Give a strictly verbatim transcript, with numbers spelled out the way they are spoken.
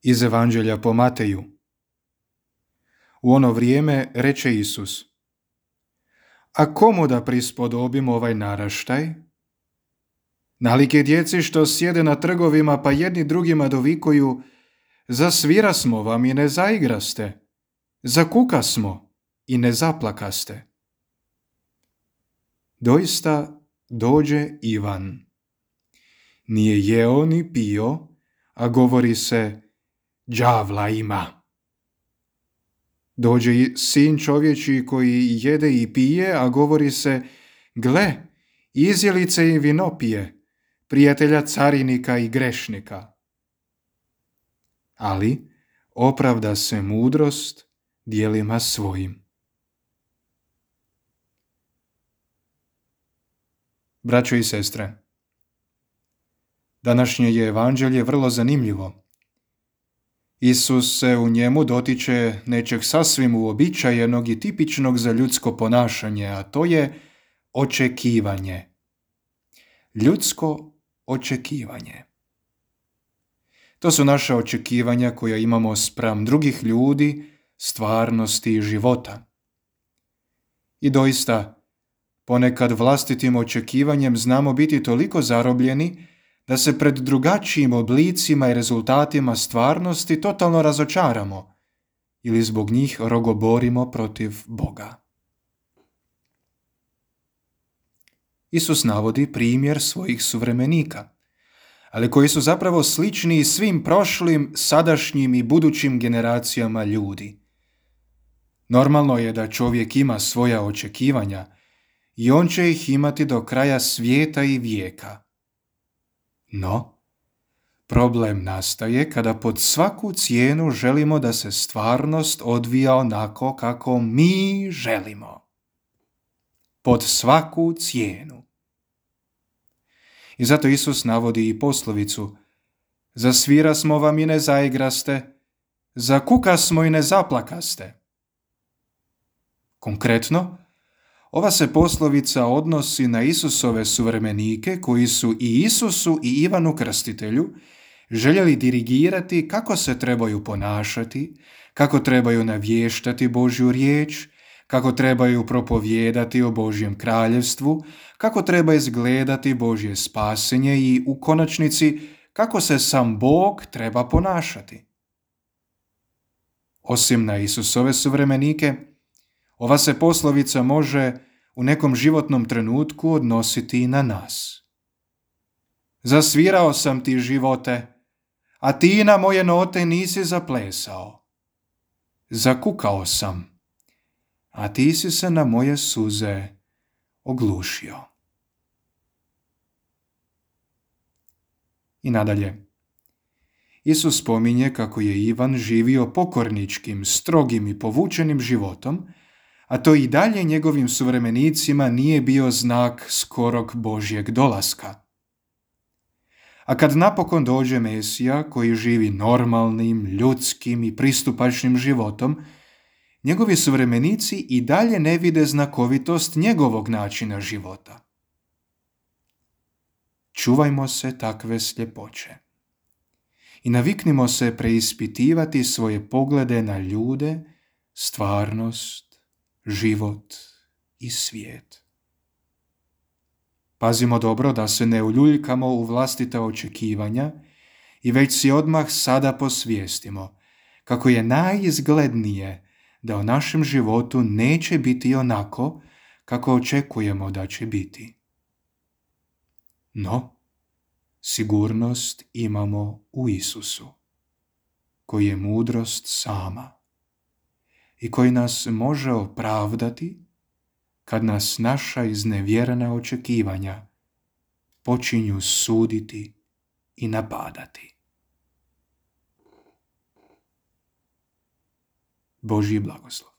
Iz Evanđelja po Mateju. U ono vrijeme reče Isus: A komu da prispodobimo ovaj naraštaj? Nalike djeci što sjede na trgovima pa jedni drugima dovikuju: Zasvira smo vam i ne zaigraste, zakuka smo i ne zaplakaste. Doista dođe Ivan. Nije jeo ni pio, a govori se: đavla ima. Dođe i sin čovječji koji jede i pije, a govori se: gle, izjelice i vinopije, prijatelja carinika i grešnika. Ali opravda se mudrost djelima svojim. Braćo i sestre, današnje je evanđelje vrlo zanimljivo. Isus se u njemu dotiče nečeg sasvim uobičajenog i tipičnog za ljudsko ponašanje, a to je očekivanje. Ljudsko očekivanje. To su naša očekivanja koja imamo spram drugih ljudi, stvarnosti i života. I doista, ponekad vlastitim očekivanjem znamo biti toliko zarobljeni da se pred drugačijim oblicima i rezultatima stvarnosti totalno razočaramo ili zbog njih rogoborimo protiv Boga. Isus navodi primjer svojih suvremenika, ali koji su zapravo slični svim prošlim, sadašnjim i budućim generacijama ljudi. Normalno je da čovjek ima svoja očekivanja i on će ih imati do kraja svijeta i vijeka. No, problem nastaje kada pod svaku cijenu želimo da se stvarnost odvija onako kako mi želimo. Pod svaku cijenu. I zato Isus navodi i poslovicu: Zasvira smo vam i ne zaigraste, zakuka smo i ne zaplakaste. Konkretno, ova se poslovica odnosi na Isusove suvremenike koji su i Isusu i Ivanu Krstitelju željeli dirigirati kako se trebaju ponašati, kako trebaju navještati Božju riječ, kako trebaju propovijedati o Božjem kraljevstvu, kako treba izgledati Božje spasenje i u konačnici kako se sam Bog treba ponašati. Osim na Isusove suvremenike, ova se poslovica može u nekom životnom trenutku odnositi i na nas. Zasvirao sam ti, živote, a ti na moje note nisi zaplesao. Zakukao sam, a ti si se na moje suze oglušio. I nadalje, Isus spominje kako je Ivan živio pokorničkim, strogim i povučenim životom, a to i dalje njegovim suvremenicima nije bio znak skorog Božjeg dolaska. A kad napokon dođe Mesija koji živi normalnim, ljudskim i pristupačnim životom, njegovi suvremenici i dalje ne vide znakovitost njegovog načina života. Čuvajmo se takve sljepoće i naviknimo se preispitivati svoje poglede na ljude, stvarnost, život i svijet. Pazimo dobro da se ne uljuljkamo u vlastita očekivanja i već si odmah sada posvijestimo kako je najizglednije da u našem životu neće biti onako kako očekujemo da će biti. No, sigurnost imamo u Isusu, koji je mudrost sama i koji nas može opravdati kad nas naša iznevjerena očekivanja počinju suditi i napadati. Božji blagoslov.